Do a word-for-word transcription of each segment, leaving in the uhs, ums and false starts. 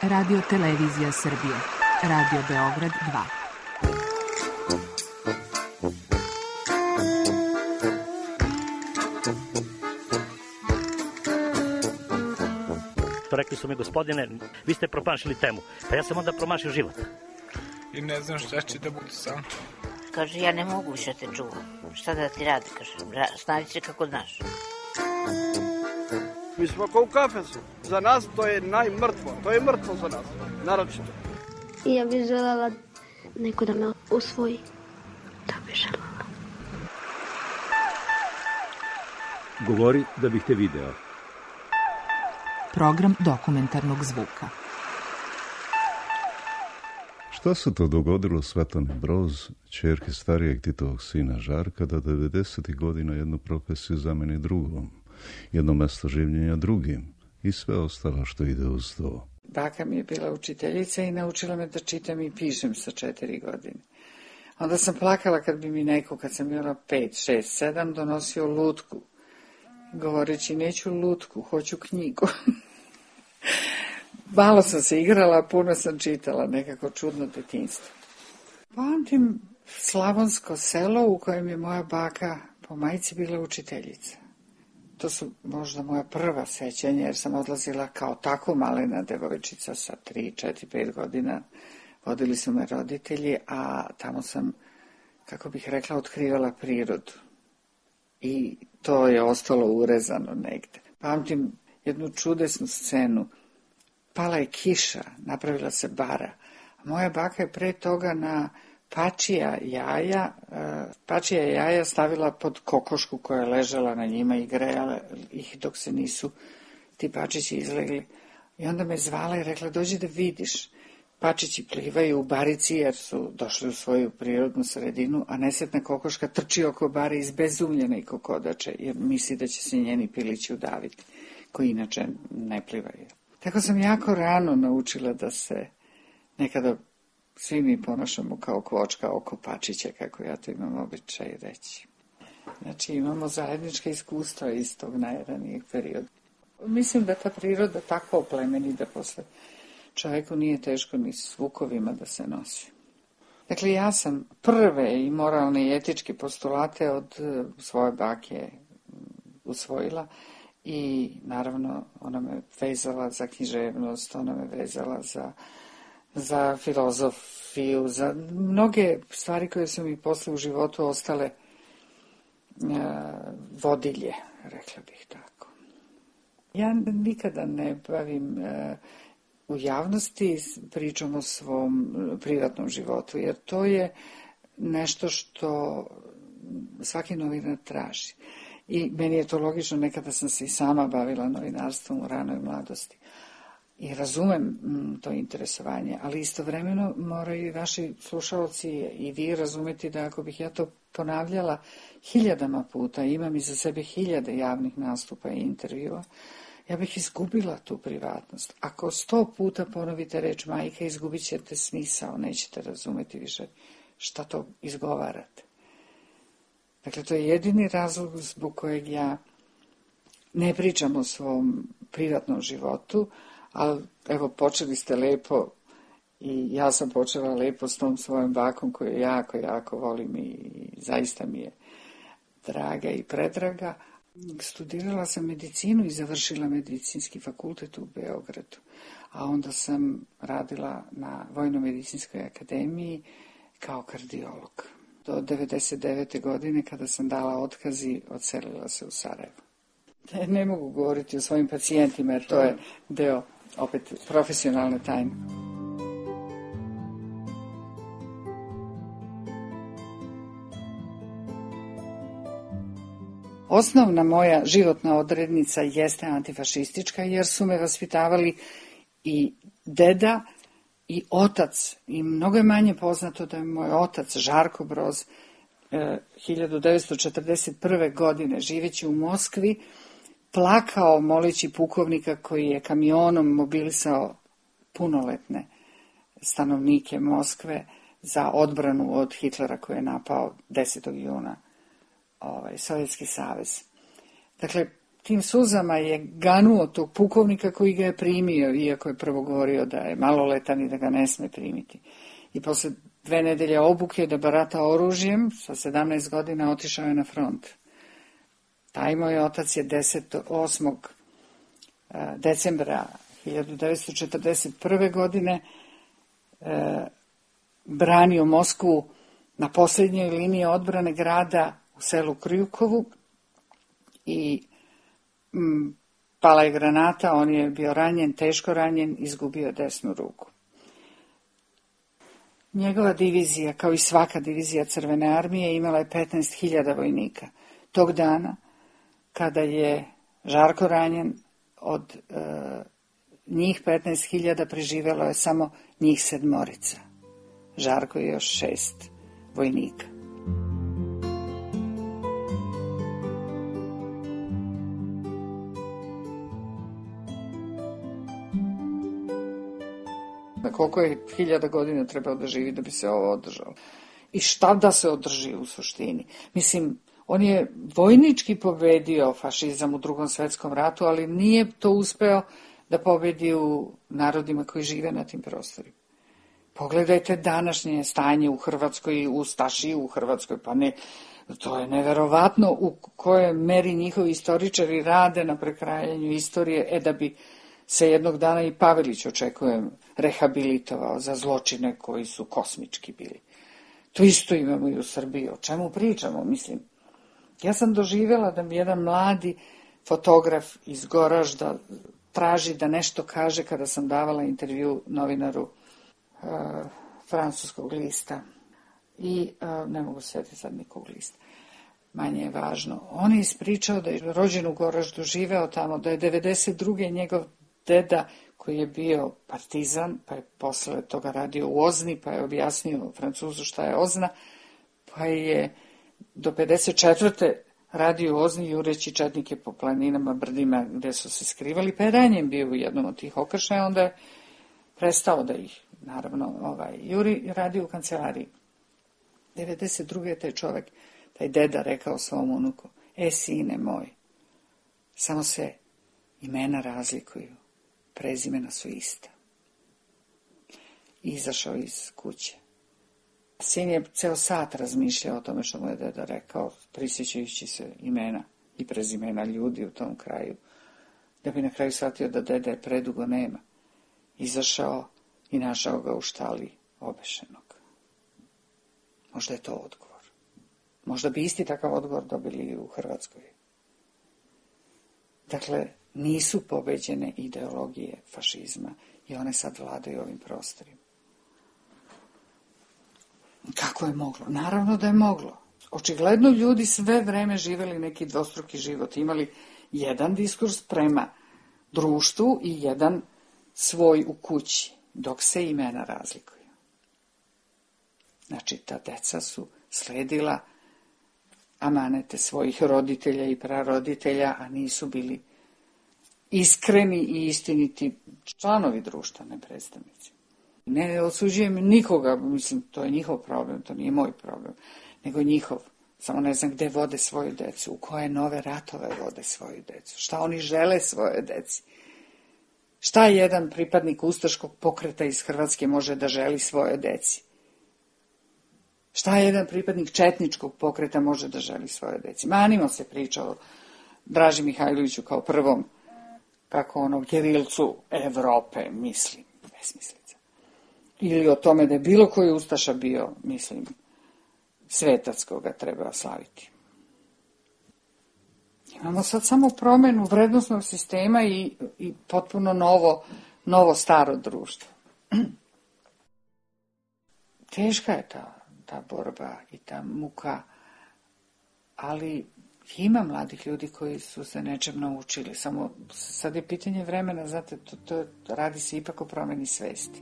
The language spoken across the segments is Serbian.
Radio Televizija Srbije. Radio Beograd dva. Rekli su mi, gospodine, vi ste promašili temu. Pa ja sam onda promašio život. I ne znam šta će da bude sam. Kaže, ja ne mogu više te čuvam. Šta da ti radi, kaže, snađi se kako znaš. Mi smo kao u kafesu. Za nas to je najmrtvo. To je mrtvo za nas, naročito. I ja bih željela neko da me usvoji. Da bih željela. Govori da bih te video. Program dokumentarnog zvuka. Šta se to dogodilo Svetlani Broz, ćerki starijeg Titovog sina Žarka, da devedesetih godina jednu profesiju zameni drugom, jedno mesto življenja drugim i sve ostalo što ide uz to? Baka mi je bila učiteljica i naučila me da čitam i pišem sa četiri godine. Onda sam plakala kad bi mi neko, kad sam bila pet, šest, sedam, donosio lutku, govoreći neću lutku, hoću knjigu. Malo sam se igrala, puno sam čitala, nekako čudno detinjstvo. Pamtim slavonsko selo u kojem je moja baka po majci bila učiteljica. To su možda moja prva sećanja, jer sam odlazila kao tako malena devojčica sa tri, četiri, pet godina. Vodili su me roditelji, a tamo sam, kako bih rekla, otkrivala prirodu. I to je ostalo urezano negde. Pamtim jednu čudesnu scenu. Pala je kiša, napravila se bara. Moja baka je pre toga na pačija jaja, pačija jaja stavila pod kokošku koja je ležala na njima i grejala ih dok se nisu ti pačići izlegli. I onda me zvala i rekla, dođi da vidiš. Pačići plivaju u barici jer su došli u svoju prirodnu sredinu, a nesretna kokoška trči oko bare izbezumljena i kokodače, jer misli da će se njeni pilići udaviti, koji inače ne plivaju. Tako sam jako rano naučila da se nekada svi mi ponašamo kao kvočka oko pačića, kako ja to imam običaj reći. Znači imamo zajednička iskustva iz tog najranijeg perioda. Mislim da ta priroda tako oplemeni da posle čovjeku nije teško ni s zvukovima da se nosi. Dakle, ja sam prve i moralne i etičke postulate od svoje bake usvojila i naravno ona me vezala za književnost, ona me vezala za, za filozofiju, za mnoge stvari koje su mi posle u životu ostale uh, vodilje, rekla bih tako. Ja nikada ne bavim uh, u javnosti pričam o svom privatnom životu, jer to je nešto što svaki novinar traži. I meni je to logično, nekada sam se i sama bavila novinarstvom u ranoj mladosti. I razumem m, to interesovanje, ali istovremeno moraju i vaši slušalci i vi razumeti da ako bih ja to ponavljala hiljadama puta, imam iza sebe hiljade javnih nastupa i intervjua, ja bih izgubila tu privatnost. Ako sto puta ponovite reč majka, izgubit ćete smisao, nećete razumeti više šta to izgovarate. Dakle, to je jedini razlog zbog kojeg ja ne pričam o svom privatnom životu, ali evo, počeli ste lepo i ja sam počela lepo s tom svojom bakom koju jako, jako volim i zaista mi je draga i predraga. Studirala sam medicinu i završila medicinski fakultet u Beogradu, a onda sam radila na Vojno-medicinskoj akademiji kao kardiolog. Do devedeset devete godine, kada sam dala otkaz i odselila se u Sarajevo. Ne, ne mogu govoriti o svojim pacijentima, jer to je deo, opet, profesionalne tajne. Osnovna moja životna odrednica jeste antifašistička, jer su me vaspitavali i deda i otac. I mnogo je manje poznato da je moj otac, Žarko Broz, eh, hiljadu devetsto četrdeset prve. godine, živeći u Moskvi, plakao moleći pukovnika koji je kamionom mobilisao punoletne stanovnike Moskve za odbranu od Hitlera koji je napao desetog juna ovaj, Sovjetski savez. Dakle, tim suzama je ganuo tog pukovnika koji ga je primio, iako je prvo govorio da je maloletan i da ga ne sme primiti. I posle dve nedelje obuke da barata oružjem, sa sedamnaest godina otišao je na front. Taj moj otac je desetog osmog decembra hiljadu devetsto četrdeset prve. godine e, branio Moskvu na posljednjoj liniji odbrane grada u selu Kryukovu i m, pala je granata, on je bio ranjen, teško ranjen, izgubio desnu ruku. Njegova divizija, kao i svaka divizija Crvene armije, imala je petnaest hiljada vojnika. Tog dana, kada je Žarko ranjen, od e, njih petnaest hiljada preživelo je samo njih sedmorica. Žarko je još šest vojnika. Na koliko je hiljada godina trebao da živi da bi se ovo održalo? I šta da se održi u suštini? Mislim, on je vojnički pobedio fašizam u Drugom svetskom ratu, ali nije to uspeo da pobedi u narodima koji žive na tim prostorima. Pogledajte današnje stanje u Hrvatskoj, ustaši u Hrvatskoj, pa ne, to je neverovatno u kojoj meri njihovi istoričari rade na prekrajanju istorije, e da bi se jednog dana i Pavelić, očekujem, rehabilitovao za zločine koji su kosmički bili. To isto imamo i u Srbiji. O čemu pričamo, mislim? Ja sam doživjela da mi jedan mladi fotograf iz Goražda traži da nešto kaže kada sam davala intervju novinaru uh, francuskog lista. I uh, ne mogu sjetiti sad nikog lista. Manje je važno. On je ispričao da je rođen u Goraždu, živeo tamo, da je devedeset druge njegov deda koji je bio partizan, pa je posle toga radio u Ozni, pa je objasnio Francuzu šta je Ozna, pa je do pedeset četvrte radio u Ozni jureći četnike po planinama, brdima gde su se skrivali, pa je ranjen bio u jednom od tih okršaja, onda je prestao da ih, naravno, ovaj, juri radio u kancelariji. devedeset druge je taj čovek, taj deda rekao svom unuku, e, sine moj, samo se imena razlikuju, prezimena su ista. I izašao iz kuće. Sin je ceo sat razmišljao o tome što mu je deda rekao, prisjećajući se imena i prezimena ljudi u tom kraju, da bi na kraju shvatio da dede predugo nema. Izašao i našao ga u štali obešenog. Možda je to odgovor. Možda bi isti takav odgovor dobili i u Hrvatskoj. Dakle, nisu pobeđene ideologije fašizma i one sad vladaju ovim prostorima. Kako je moglo? Naravno da je moglo. Očigledno ljudi sve vreme živeli neki dvostruki život. Imali jedan diskurs prema društvu i jedan svoj u kući, dok se imena razlikuju. Znači, ta deca su sledila amanete svojih roditelja i praroditelja, a nisu bili iskreni i istiniti članovi društva, ne predstavnici. Ne osuđujem nikoga, mislim, to je njihov problem, to nije moj problem, nego njihov. Samo ne znam gde vode svoju decu, u koje nove ratove vode svoju decu, šta oni žele svoje deci. Šta jedan pripadnik ustaškog pokreta iz Hrvatske može da želi svoje deci? Šta jedan pripadnik četničkog pokreta može da želi svoje deci? Manimo se priča o Draži Mihajloviću kao prvom, kako ono, gerilcu Evrope, mislim, besmislica. Ili o tome da je bilo koji ustaša bio, mislim, svetac koga treba slaviti. Imamo sad samo promenu vrednostnog sistema i, i potpuno novo, novo staro društvo. Teška je ta, ta borba i ta muka, ali ima mladih ljudi koji su se nečem naučili. Samo sad je pitanje vremena, znate, to, to radi se ipak o promeni svesti.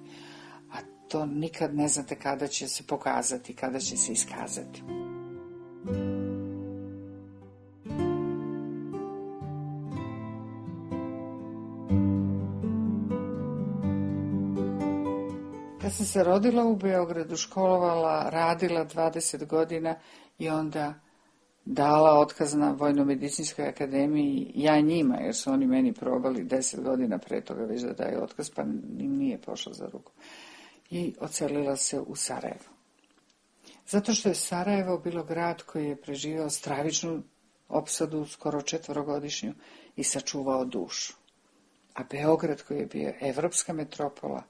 A to nikad ne znate kada će se pokazati, kada će se iskazati. Kad sam se rodila u Beogradu, školovala, radila dvadeset godina i onda dala otkaz na Vojno-medicinskoj akademiji, ja njima, jer su oni meni probali deset godina pre toga već da daju otkaz, pa im nije pošlo za ruku. I odselila se u Sarajevo. Zato što je Sarajevo bilo grad koji je preživio stravičnu opsadu, skoro četvorogodišnju, i sačuvao dušu. A Beograd, koji je bio evropska metropola,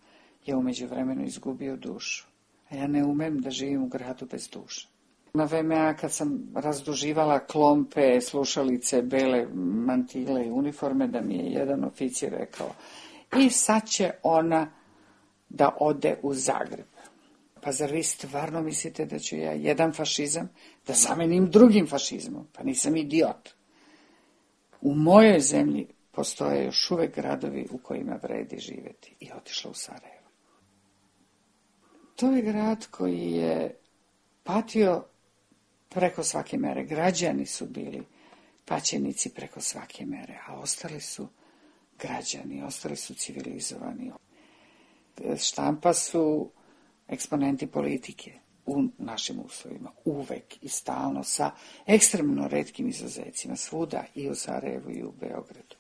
je umeđu vremenu izgubio dušu. A ja ne umem da živim u gradu bez duše. Na V M A kad sam razduživala klompe, slušalice, bele mantile i uniforme, da mi je jedan oficir rekao: i sad će ona da ode u Zagreb. Pa zar vi stvarno mislite da ću ja jedan fašizam da zamenim drugim fašizmom? Pa nisam idiot. U mojoj zemlji postoje još uvek gradovi u kojima vredi živjeti. I otišla u Sarajevo. To je grad koji je patio preko svake mere. Građani su bili paćenici preko svake mere, a ostali su građani, ostali su civilizovani. Štampa su eksponenti politike u našim uslovima, uvek i stalno, sa ekstremno retkim izuzecima, svuda, i u Sarajevu i u Beogradu.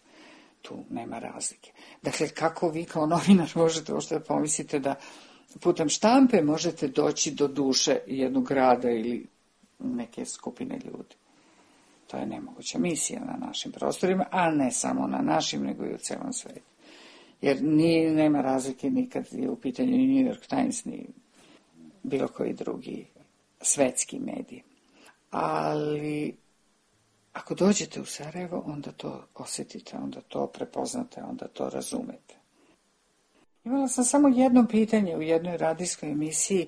Tu nema razlike. Dakle, kako vi kao novinar možete uopšte da pomislite da putem štampe možete doći do duše jednog grada ili neke skupine ljudi? To je nemoguća misija na našim prostorima, a ne samo na našim, nego i u celom svetu. Jer ni, nema razlike nikad je u pitanju ni New York Times, ni bilo koji drugi svetski medij. Ali ako dođete u Sarajevo, onda to osjetite, onda to prepoznate, onda to razumete. Imala sam samo jedno pitanje u jednoj radijskoj emisiji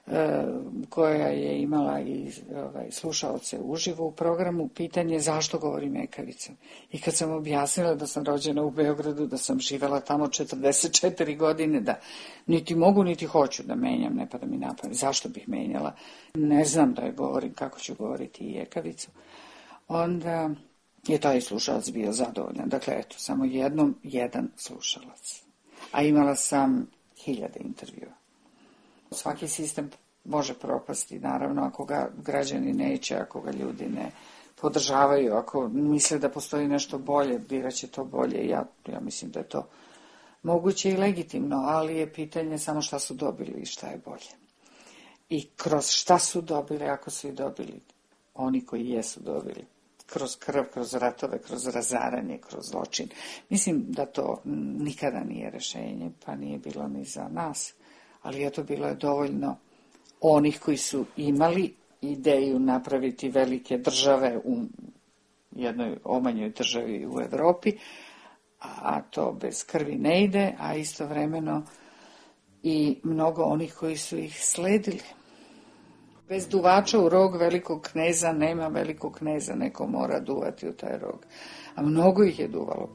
e, koja je imala i ovaj, slušaoce uživo u programu, pitanje zašto govorim ekavicom. I kad sam objasnila da sam rođena u Beogradu, da sam živela tamo četrdeset četiri godine, da niti mogu niti hoću da menjam, ne pa da mi napamet. Zašto bih menjala? Ne znam da je govorim kako ću govoriti i ekavicu. Onda je taj slušalac bio zadovoljan. Dakle, eto, samo jednom jedan slušalac. A imala sam hiljade intervjua. Svaki sistem može propasti, naravno, ako ga građani neće, ako ga ljudi ne podržavaju, ako misle da postoji nešto bolje, biraće to bolje. Ja, ja mislim da je to moguće i legitimno, ali je pitanje samo šta su dobili i šta je bolje. I kroz šta su dobili, ako su i dobili, oni koji jesu dobili, kroz krv, kroz ratove, kroz razaranje, kroz zločin. Mislim da to nikada nije rešenje, pa nije bilo ni za nas, ali eto, bilo je dovoljno onih koji su imali ideju napraviti velike države u jednoj omanjoj državi u Evropi, a to bez krvi ne ide, a istovremeno i mnogo onih koji su ih sledili. Bez duvača u rog velikog kneza nema velikog kneza, neko mora duvati u taj rog. A mnogo ih je duvalo.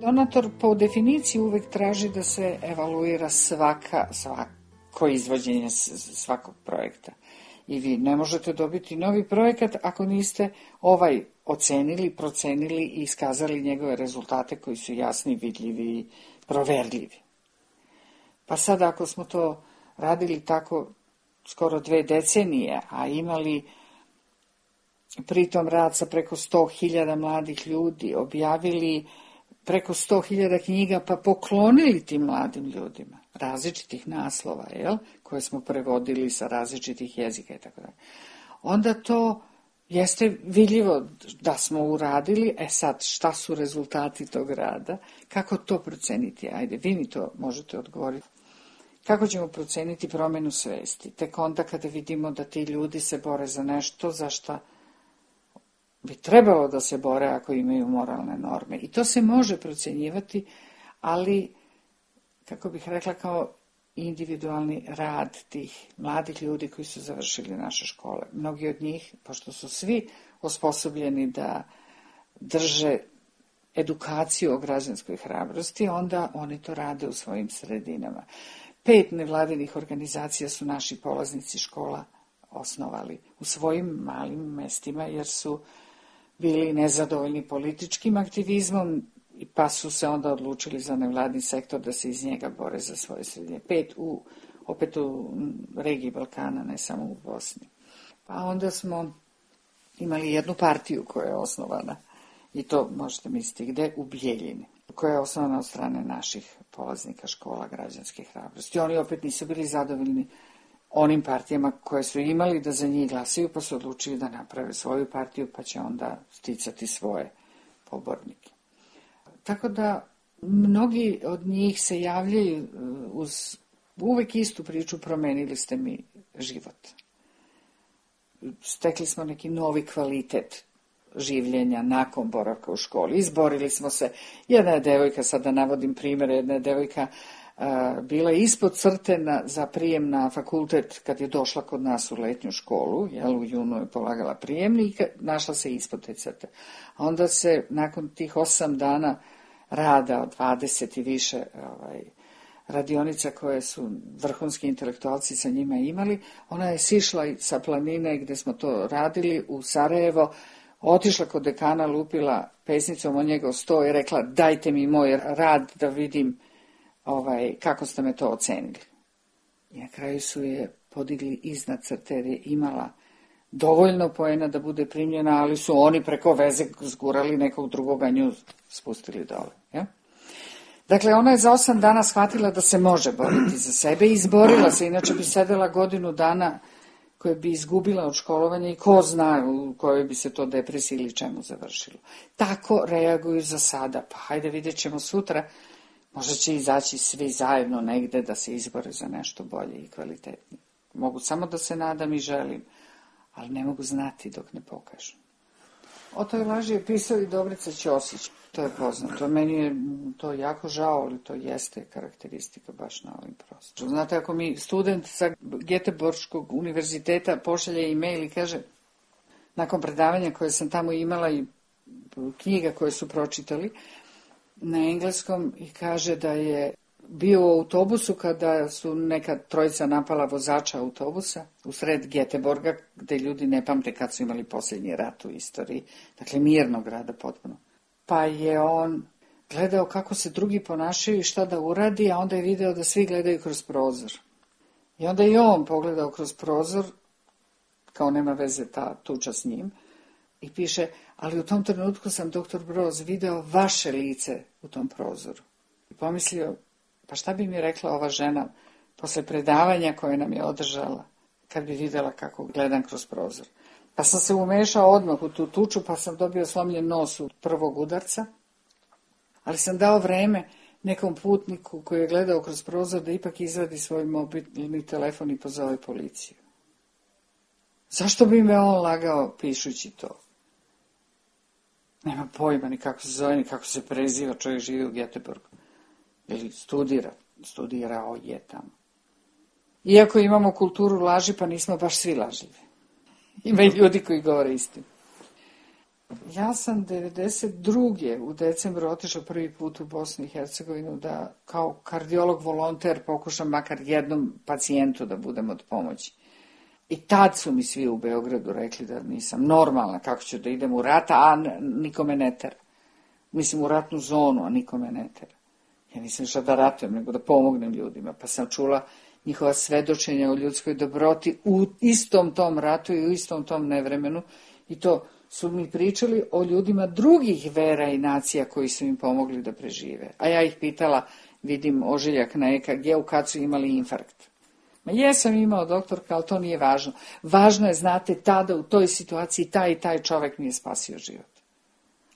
Donator po definiciji uvek traži da se evaluira svaka, svako izvođenje svakog projekta. I vi ne možete dobiti novi projekat ako niste ovaj ocenili, procenili i iskazali njegove rezultate koji su jasni, vidljivi i proverljivi. Pa sad ako smo to radili tako skoro dve decenije, a imali pritom rad sa preko sto hiljada mladih ljudi, objavili preko sto hiljada knjiga, pa poklonili tim mladim ljudima različitih naslova, jel, koje smo prevodili sa različitih jezika i tako dalje. Onda to jeste vidljivo da smo uradili. E sad, šta su rezultati tog rada? Kako to proceniti? Ajde, vi mi to možete odgovoriti. Kako ćemo proceniti promenu svesti? Tek onda kada vidimo da ti ljudi se bore za nešto za šta bi trebalo da se bore ako imaju moralne norme. I to se može procenjivati, ali, kako bih rekla, kao individualni rad tih mladih ljudi koji su završili naše škole. Mnogi od njih, pošto su svi osposobljeni da drže edukaciju o građanskoj hrabrosti, onda oni to rade u svojim sredinama. Pet nevladinih organizacija su naši polaznici škola osnovali u svojim malim mestima, jer su bili nezadovoljni političkim aktivizmom, pa su se onda odlučili za nevladni sektor da se iz njega bore za svoje sredine. Pet u, opet u regiji Balkana, ne samo u Bosni. Pa onda smo imali jednu partiju koja je osnovana, i to možete misliti gde, u Bijeljini, koja je osnovana od strane naših polaznika škola građanske hrabrosti. Oni opet nisu bili zadovoljni onim partijama koje su imali da za njih glasaju, pa su odlučili da naprave svoju partiju, pa će onda sticati svoje pobornike. Tako da mnogi od njih se javljaju uz uvek istu priču, promenili ste mi život. Stekli smo neki novi kvalitet življenja nakon boravka u školi. Izborili smo se. Jedna je devojka, sad da navodim primjer, jedna je devojka a, bila ispod crte na, za prijem na fakultet kad je došla kod nas u letnju školu, jel, u junu je polagala prijemnik, našla se ispod te crte. A onda se nakon tih osam dana rada od dvadeset i više ovaj, radionica koje su vrhunski intelektualci sa njima imali, ona je sišla sa planine gde smo to radili u Sarajevo, otišla kod dekana, lupila pesnicom o njegov sto i rekla dajte mi moj rad da vidim ovaj, kako ste me to ocenili. I na kraju su je podigli iznad crte jer je imala dovoljno poena da bude primljena, ali su oni preko veze zgurali nekog drugoga, nju spustili dole. Ja? Dakle, ona je za osam dana shvatila da se može boriti za sebe i izborila se, inače bi sedela godinu dana koje bi izgubila od školovanja i ko zna u kojoj bi se to depresiji ili čemu završilo. Tako reaguju za sada, pa hajde vidjet ćemo sutra, možda će izaći svi zajedno negde da se izbore za nešto bolje i kvalitetnije. Mogu samo da se nadam i želim, ali ne mogu znati dok ne pokažu. O toj laži je pisao i Dobrica Ćosić, to je poznato. Meni je to jako žao, ali to jeste karakteristika baš na ovim prostorima. Znate, ako mi student sa Göteborgskog univerziteta pošalje e-mail i kaže, nakon predavanja koje sam tamo imala i knjiga koje su pročitali na engleskom, i kaže da je bio u autobusu kada su neka trojica napala vozača autobusa u sred Göteborga, gde ljudi ne pamte kad su imali posljednji rat u istoriji, dakle mirnog rada potpuno. Pa je on gledao kako se drugi ponašaju i šta da uradi, a onda je video da svi gledaju kroz prozor. I onda je on pogledao kroz prozor, kao nema veze ta tuča s njim, i piše, ali u tom trenutku sam, doktor Broz, video vaše lice u tom prozoru. I pomislio, pa šta bi mi rekla ova žena posle predavanja koje nam je održala, kad bi videla kako gledam kroz prozor. Pa sam se umešao odmah u tu tuču, pa sam dobio slomljen nos od prvog udarca, ali sam dao vreme nekom putniku koji je gledao kroz prozor da ipak izvadi svoj mobilni telefon i pozove policiju. Zašto bi me on lagao pišući to? Nema pojma ni kako se zove, ni kako se preziva, čovjek živi u Göteborgu. Ili studira, studirao je tamo. Iako imamo kulturu laži, pa nismo baš svi lažljivi. Ima i ljudi koji govore istinu. Ja sam devedeset druge u decembru otišao prvi put u Bosnu i Hercegovinu da kao kardiolog volonter pokušam makar jednom pacijentu da budem od pomoći. I tad su mi svi u Beogradu rekli da nisam normalna, kako ću da idem u rat, a nikome ne tera. Mislim u ratnu zonu, a nikome ne tera. Ja nisam šta da ratujem, nego da pomognem ljudima. Pa sam čula njihova svedočenja o ljudskoj dobroti u istom tom ratu i u istom tom nevremenu. I to su mi pričali o ljudima drugih vera i nacija koji su im pomogli da prežive. A ja ih pitala, vidim ožiljak na E K G-u kad su imali infarkt. Ma jesam imao, doktorka, ali to nije važno. Važno je, znate, tada u toj situaciji taj i taj čovek mi je spasio život.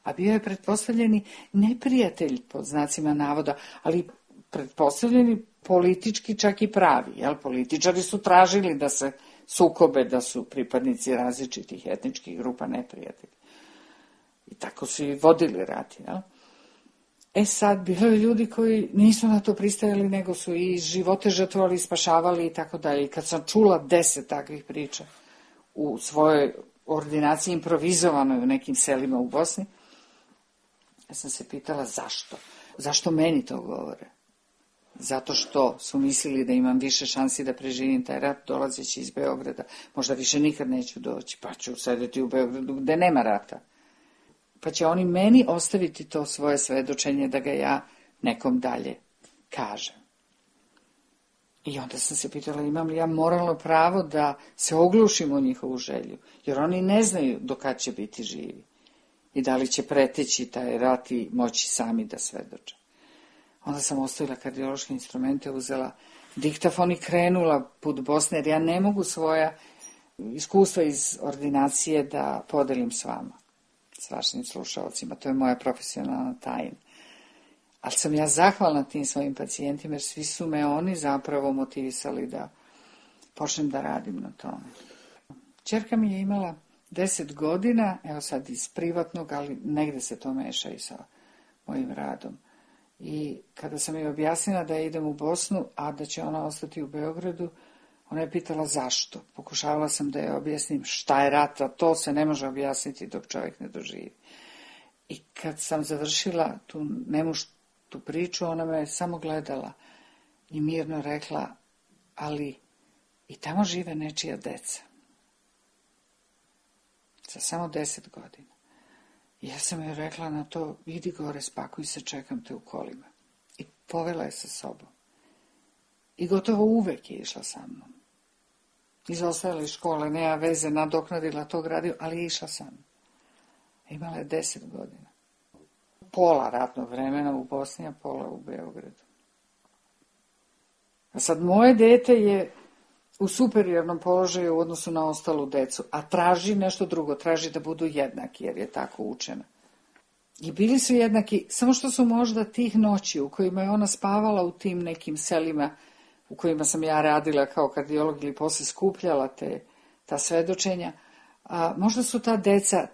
A bio je pretpostavljeni neprijatelj, pod znacima navoda, ali pretpostavljeni politički čak i pravi. Jel? Političari su tražili da se sukobe, da su pripadnici različitih etničkih grupa neprijatelji. I tako su i vodili rat. Jel? E sad, bilo je ljudi koji nisu na to pristajali, nego su i živote žrtvovali, spašavali i tako dalje. I kad sam čula deset takvih priča u svojoj ordinaciji improvizovanoj u nekim selima u Bosni, ja sam se pitala zašto. Zašto meni to govore? Zato što su mislili da imam više šansi da preživim taj rat dolazeći iz Beograda. Možda više nikad neću doći, pa ću sedeti u Beogradu gde nema rata. Pa će oni meni ostaviti to svoje svedočenje da ga ja nekom dalje kažem. I onda sam se pitala imam li ja moralno pravo da se oglušim u njihovu želju, jer oni ne znaju do kad će biti živi i da li će preteći taj rat i moći sami da svedoče. Onda sam ostavila kardiološke instrumente, uzela diktafon i krenula put Bosne, jer ja ne mogu svoja iskustva iz ordinacije da podelim s vama, s vašim slušalcima. To je moja profesionalna tajna. Ali sam ja zahvalna tim svojim pacijentima, jer svi su me oni zapravo motivisali da počnem da radim na tome. Ćerka mi je imala deset godina, evo sad iz privatnog, ali negde se to meša i sa mojim radom. I kada sam joj objasnila da idem u Bosnu, a da će ona ostati u Beogradu, ona je pitala zašto. Pokušavala sam da je objasnim šta je rat, a to se ne može objasniti dok čovjek ne doživi. I kad sam završila tu nemuštu priču, ona me samo gledala i mirno rekla, ali i tamo žive nečija deca. Za samo deset godina. I ja sam joj rekla na to, idi gore, spakuj se, čekam te u kolima. I povela je sa sobom. I gotovo uvek je išla sa mnom. Izostajala iz škole, nema veze, nadoknadila to gradio, ali je išla sa mnom. Imala je deset godina. Pola ratnog vremena u Bosni, a pola u Beogradu. A sad moje dete je u superiornom položaju u odnosu na ostalu decu, a traži nešto drugo, traži da budu jednaki, jer je tako učena. I bili su jednaki, samo što su možda tih noći u kojima je ona spavala u tim nekim selima u kojima sam ja radila kao kardiolog ili posle skupljala te, ta svedočenja, a možda su ta deca,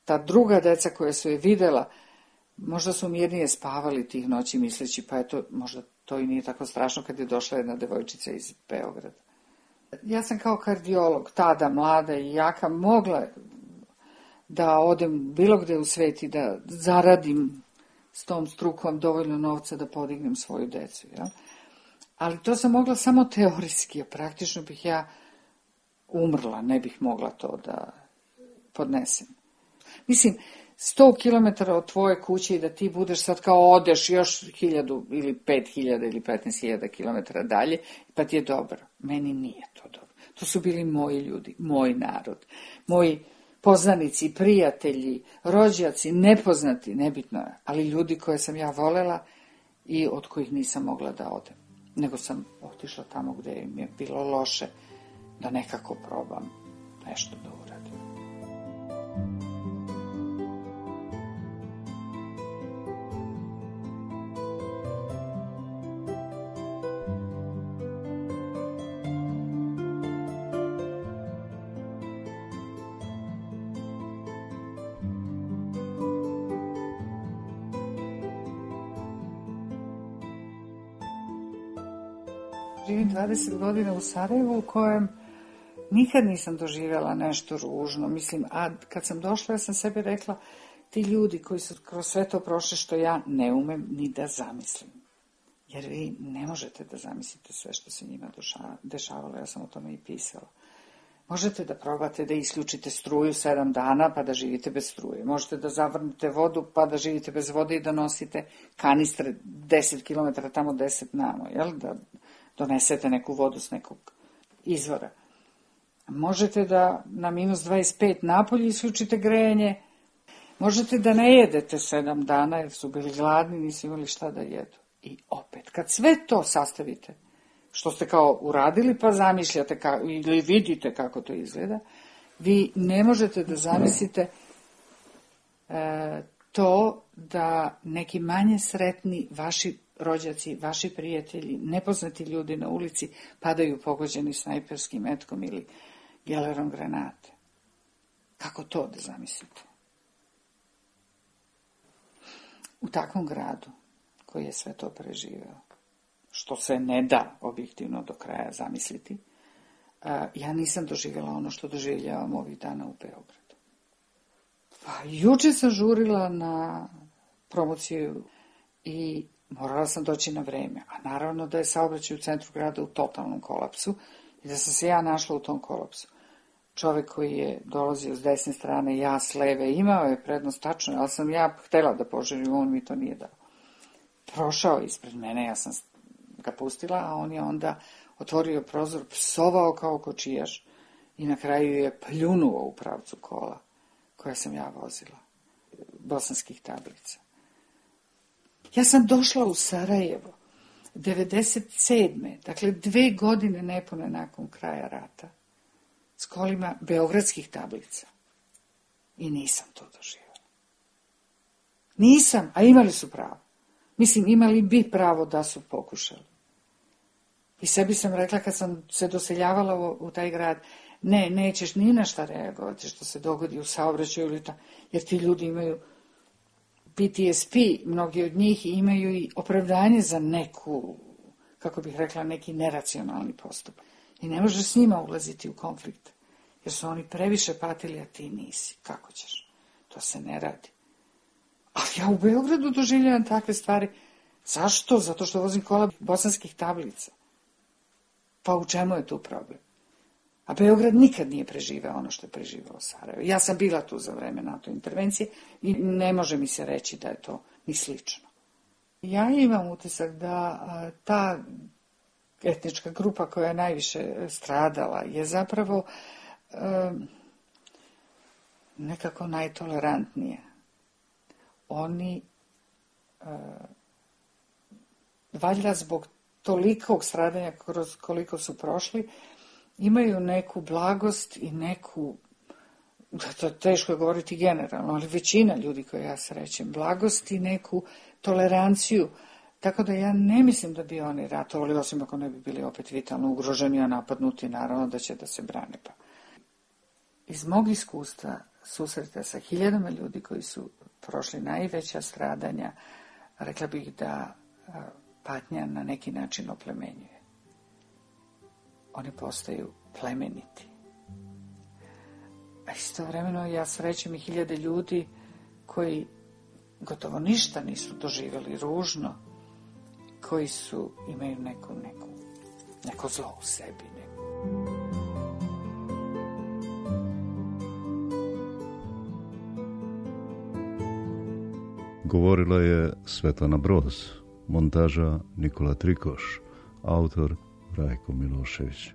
ta druga deca koja su je videla, možda su mirnije spavali tih noći misleći, pa eto, možda to i nije tako strašno kad je došla jedna devojčica iz Beograda. Ja sam kao kardiolog, tada mlada i jaka, mogla da odem bilo gde u svet i da zaradim s tom strukom dovoljno novca da podignem svoju decu. Ja? Ali to sam mogla samo teorijski, a praktično bih ja umrla, ne bih mogla to da podnesem. Mislim, sto kilometara od tvoje kuće i da ti budeš sad kao odeš još hiljadu ili pet hiljada ili petnaest hiljada kilometara dalje, pa ti je dobro. Meni nije to dobro. To su bili moji ljudi, moj narod, moji poznanici, prijatelji, rođaci, nepoznati, nebitno je, ali ljudi koje sam ja volela i od kojih nisam mogla da odem. Nego sam otišla tamo gde im je bilo loše da nekako probam nešto da uradim. Živim dvadeset godina u Sarajevu u kojem nikad nisam doživjela nešto ružno. Mislim, a kad sam došla, ja sam sebi rekla, ti ljudi koji su kroz sve to prošli što ja ne umem ni da zamislim. Jer vi ne možete da zamislite sve što se njima dešavalo, ja sam o tome i pisala. Možete da probate da isključite struju sedam dana pa da živite bez struje. Možete da zavrnete vodu pa da živite bez vode i da nosite kanistre deset kilometara tamo, deset namo, jel? Da donesete neku vodu s nekog izvora. Možete da na minus dvadeset pet napolje isključite grejanje. Možete da ne jedete sedam dana jer su bili gladni, nisu imali šta da jedu. I opet, kad sve to sastavite, što ste kao uradili pa zamišljate kako, ili vidite kako to izgleda, vi ne možete da zamislite e, to da neki manje sretni vaši rođaci, vaši prijatelji, nepoznati ljudi na ulici padaju pogođeni snajperskim metkom ili gelerom granate. Kako to da zamislite? U takvom gradu koji je sve to preživeo, što se ne da objektivno do kraja zamisliti, ja nisam doživjela ono što doživljavam ovih dana u Beogradu. Pa, juče sam žurila na promociju i morala sam doći na vreme, a naravno da je saobraćaj u centru grada u totalnom kolapsu i da sam se ja našla u tom kolapsu. čovjek koji je dolazio s desne strane, ja s leve, imao je prednost tačno, ali sam ja htjela da poželim, on mi to nije dao. Prošao ispred mene, ja sam ga pustila, a on je onda otvorio prozor, psovao kao kočijaš i na kraju je pljunuo u pravcu kola koja sam ja vozila, bosanskih tablica. Ja sam došla u Sarajevo devedeset sedme dakle dve godine nepune nakon kraja rata, s kolima beogradskih tablica. I nisam to doživjela. Nisam, a imali su pravo. Mislim, imali bi pravo da su pokušali. I sebi sam rekla kad sam se doseljavala u, u taj grad, ne, nećeš ni na šta reagovati što se dogodi u saobraćaju ili ta, jer ti ljudi imaju P T S P, mnogi od njih imaju i opravdanje za neku, kako bih rekla, neki neracionalni postupak. I ne možeš s njima ulaziti u konflikt, jer su oni previše patili, a ti nisi. Kako ćeš? To se ne radi. Ali ja u Beogradu doživljavam takve stvari. Zašto? Zato što vozim kola bosanskih tablica. Pa u čemu je tu problem? A Beograd nikad nije preživeo ono što je preživao Sarajevo. Ja sam bila tu za vreme NATO intervencije i ne može mi se reći da je to ni slično. Ja imam utisak da ta etnička grupa koja je najviše stradala je zapravo um, nekako najtolerantnije. Oni uh, valjda zbog tolikog stradanja kroz koliko su prošli, imaju neku blagost i neku, to teško je govoriti generalno, ali većina ljudi koje ja srećem, blagost i neku toleranciju. Tako da ja ne mislim da bi oni ratovali, osim ako ne bi bili opet vitalno ugroženi, a napadnuti, naravno da će da se brane. Pa. Iz mog iskustva susreta sa hiljadama ljudi koji su prošli najveća stradanja, rekla bih da patnja na neki način oplemenjuje. Oni postaju plemeniti. A istovremeno ja srećem i hiljade ljudi koji gotovo ništa nisu doživjeli ružno, koji su, imaju neku, neku, neko zlo u sebi. Neko. Govorila je Svetlana Broz, montaža Nikola Trikoš, autor Rajko Milošević.